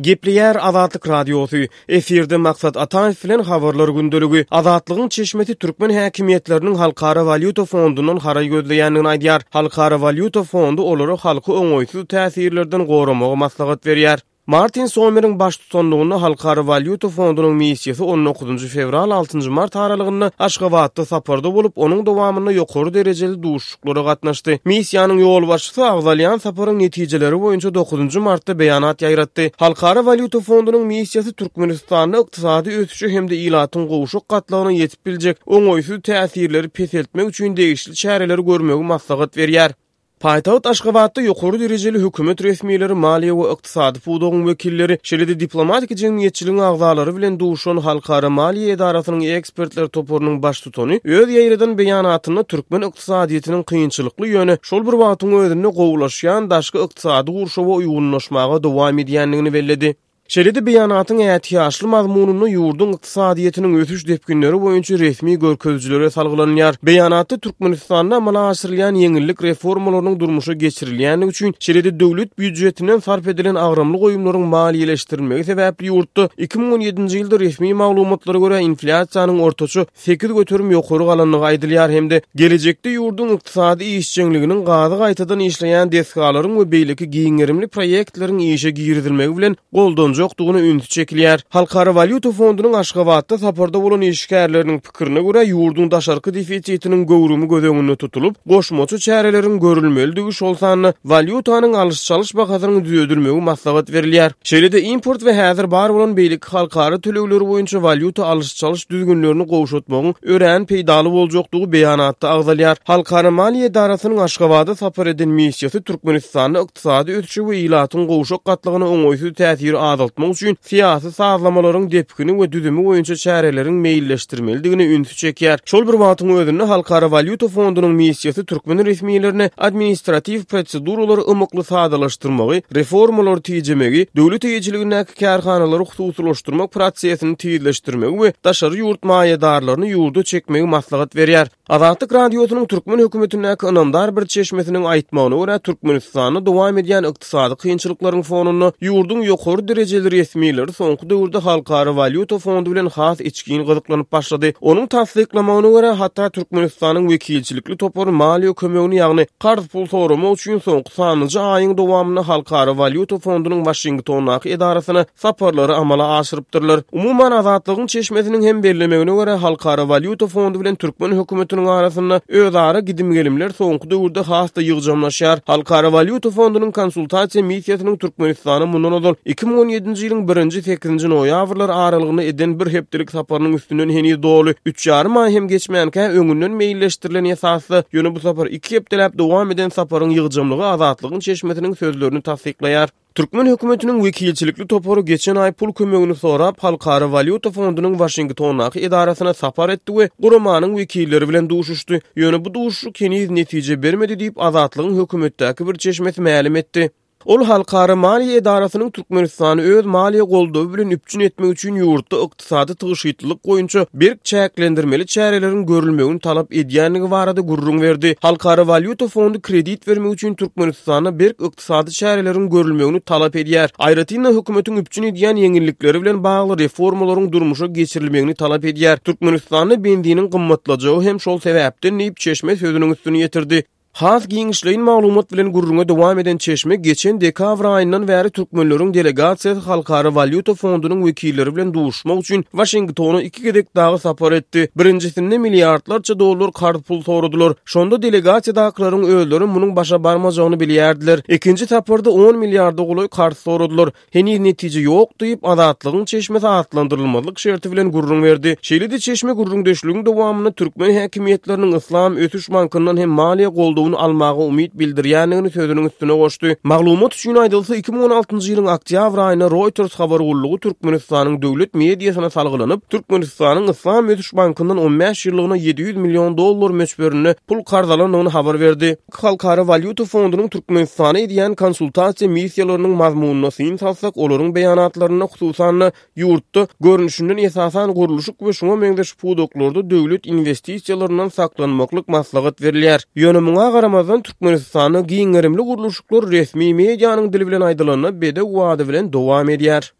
Gepleýär Azatlyk Radiosy, efirde Maksat Ataýew bilen Habarlar gündeligi. Azatlygyň çeşmesi türkmen häkimiýetleriniň Halkara walýuta fondundan haraý gözleýändigini aýdýar. Halkara walýuta fondy olara halky oňaýsyz täsirlerden goramagy maslahat berýär. Martin Sommeriň baştutanlygynda Halkara walýuta fondunyň missiýasy on dokuzynjy fewral, altynjy mart aralygynda Aşgabatda saparda bolup, onuň dowamynda ýokary derejeli duşuşyklara gatnaşdy. Missiýanyň ýolbaşçysy agzalýan saparyň netijeleri boýunça dokuzynjy martda beýanat ýaýratdy. Halkara walýuta fondunyň missiýasy Türkmenistanda ykdysady ösüşe hem-de ilatyň gowşak gatlagyna ýetip biljek oňaýsyz täsirleri peseltmek üçin degişli çäreleri görmegi maslahat berýär. Paýtagt Aşgabatda ýokary derejeli hökümet resmileri, maliýe we ykdysady pudagyň wekilleri, şeýle-de diplomatik jemgyýetçiligiň agzalary bilen duşan Halkara maliýe edarasynyň ekspertler toparynyň baştutany öz ýaýradan beýanatynda türkmen ykdysadyýetiniň kynçylykly, ýöne şol bir wagtyň özünde gowulaşýan daşky ykdysady gurşawa uýgunlaşmaga dowam edýändigini belledi. Şeýle-de beýanatyň ätiýaçly mazmunynda ýurduň ykdysadyýetiniň ösüş depginleri boýunça resmi görkezijilere salgylanylýar. Beýanatda Türkmenistanda amala aşyrylýan ýeňillik reformalarynyň durmuşa geçirilýändigi üçin, şeýle-de döwlet býujetinden sarp edilen agramly goýumlaryň maliýeleşdirilmegi sebäpli ýurtda 2017-nji ýylda resmi maglumatlara görä inflýasiýanyň ortaça 8% ýokary galandygy aýdylýar hem-de gelejekde ýurduň ykdysady işjeňliginiň gazy gaýtadan işleýän desgalaryň we beýleki giň gerimli proýektleriň işe girizilmegi bilen goldanjakdygyna ünsi çekilýär. Halkara walýuta fondunyň Aşgabatda saparda bolan işgärleriniň pikirine görä, ýurduň daşarky defisitiniň göwrümi göz öňünde tutulyp, goşmaça çäreleriň görülmelidigi, şol sanda walýutanyň alyş-çalyş bahasynyň düzedilmegi maslahat berilýär. Şeýle-de import we häzir bar bolan beýleki halkara tölegleri boýunça walýuta alyş-çalyş düzgünlerini gowşatmagyň örän peýdaly boljakdygy beýanatda agzalýar. Halkara maliýe edarasynyň Aşgabada sapar eden missiýasy Türkmenistanda ykdysady ösüşe we ilatyň gowşak gatlagyna oňaýsyz täsiri azaltmak üçin syýasy sazlamalaryň depgini we düzümi boýunça çäreleriň meýilleşdirmelidigine ünsi çekýär. Şol bir wagtyň özünde Halkara walýuta fondunyň missiýasy türkmen resmilerine administratiw proseduralary ymykly sadalaşdyrmagy, reformalary tijemegi, döwlet eýeçiligindäki kärhanalary hususylaşdyrmak prosesini tizleşdirmegi we daşary ýurt maýadarlaryny ýurda çekmegi maslahat berýär. Azatlyk Radiosynyň türkmen hökümetindäki ynamdar bir çeşmesiniň aýtmagyna görä, Türkmenistanda dowam edýän ykdysady kynçylyklaryň fonunda ýurduň ýokary derejeli resmileri soňky döwürde Halkara walýuta fondy bilen has içgin gyzyklanyp başlady. Onuň tassyklamagyna görä, hatda Türkmenistanyň wekilçilikli topary maliýe kömegini, ýagny karz pul soramak üçin soňky sanlyja aýyň dowamynda Halkara walýuta fondunyň Waşingtondaky edarasyna saparlary amala aşyrypdyrlar. Umuman, Azatlygyň çeşmesiniň hem bellemegine görä, Halkara walýuta fondy bilen türkmen hökümetiniň arasynda özara gidim-gelimler soňky döwürde has-da ýygjamlaşýar. Halkara walýuta fondunyň konsultasiýa missiýasynyň Türkmenistana mundan ozal 2017-nji ýylyň birinji-sekizinji noýabrlary aralygynda eden bir hepdelik saparynyň üstünden heniz doly üç ýarym aý hem geçmänkä öňünden meýilleşdirilen esasda, ýöne bu sapar iki hepdeläp dowam eden saparyň ýygjamlygy Azatlygyň çeşmesiniň sözlerini tassyklaýar. Türkmen hökümetiniň wekilçilikli topary geçen aý pul kömegini sorap, Halkara walýuta fondunyň Waşingtondaky edarasyna sapar etdi we guramanyň wekilleri bilen duşuşdy. Ýöne bu duşuşyk heniz netije bermedi diýip, Azatlygyň hökümetdäki bir çeşmesi mälim etdi. Ol Halkara maliýe edarasynyň Türkmenistany öz maliýe goldawy bilen üpjün etmek üçin ýurtda ykdysady tygşytlylyk boýunça berk çäklendirmeli çäreleriň görülmegini talap edýändigi barada gürrüň berdi. Halkara walýuta fondy kredit bermek üçin Türkmenistanda berk ykdysady çäreleriň görülmegini talap edýär. Aýratyn-da, hökümetiň üpjün edýän ýeňillikleri bilen bagly reformalaryň durmuşa geçirilmegini talap edýär. Türkmenistanda benziniň gymmatlajagy hem şol sebäpden diýip, çeşme sözüniň üstüni ýetirdi. Has giňişleýin maglumat bilen gürrüňe dowam eden çeşme geçen dekabr aýyndan bäri türkmenleriň delegasiýasy Halkara walýuta fondunyň wekilleri bilen duşuşmak üçin Waşingtona iki gezek dagy sapar etdi. Birinjisinde milliardlarça dollar karz pul soradylar. Şonda delegasiýadakylaryň özleri munuň başa barmajagyny bilýärdiler. Ikinji saparda on milliarda golaý karz soradylar. Heniz netije ýok diýip, Azatlygyň çeşmesi atlandyrylmazlyk şerti bilen gürrüň berdi. Şeýle-de çeşme gürrüňdeşligiň dowamynda türkmen häkimiýetleriniň Yslam ösüş bankyndan hem maliýe goldawyny almaga umyt bildirýändigini sözüniň üstüne goşdy. Maglumat üçin aýdylsa, 2016-njy ýylyň oktýabr aýynda Reuters habar gullugy Türkmenistanyň döwlet mediasyna salgylanyp, Türkmenistanyň Yslam ösüş bankyndan 15 ýyllygyna 700 million dollar möçberinde pul karz alandygyny habar berdi. Halkara walýuta fondunyň Türkmenistana edýän konsultasiýa missiýalarynyň mazmunyna syn salsak, olaryň beýanatlarynda, hususan-da, ýurtda, görnüşinden esasan gurluşyk we şuňa meňzeş pudaklarda döwlet inwestisiýalaryndan saklanmaklyk maslahat berilýär. Ýöne muňa. garamazdan, Türkmenistanda giň gerimli gurluşyklar resmi medianyň dili bilen aýdylanda bedew bady bilen dowam edýär.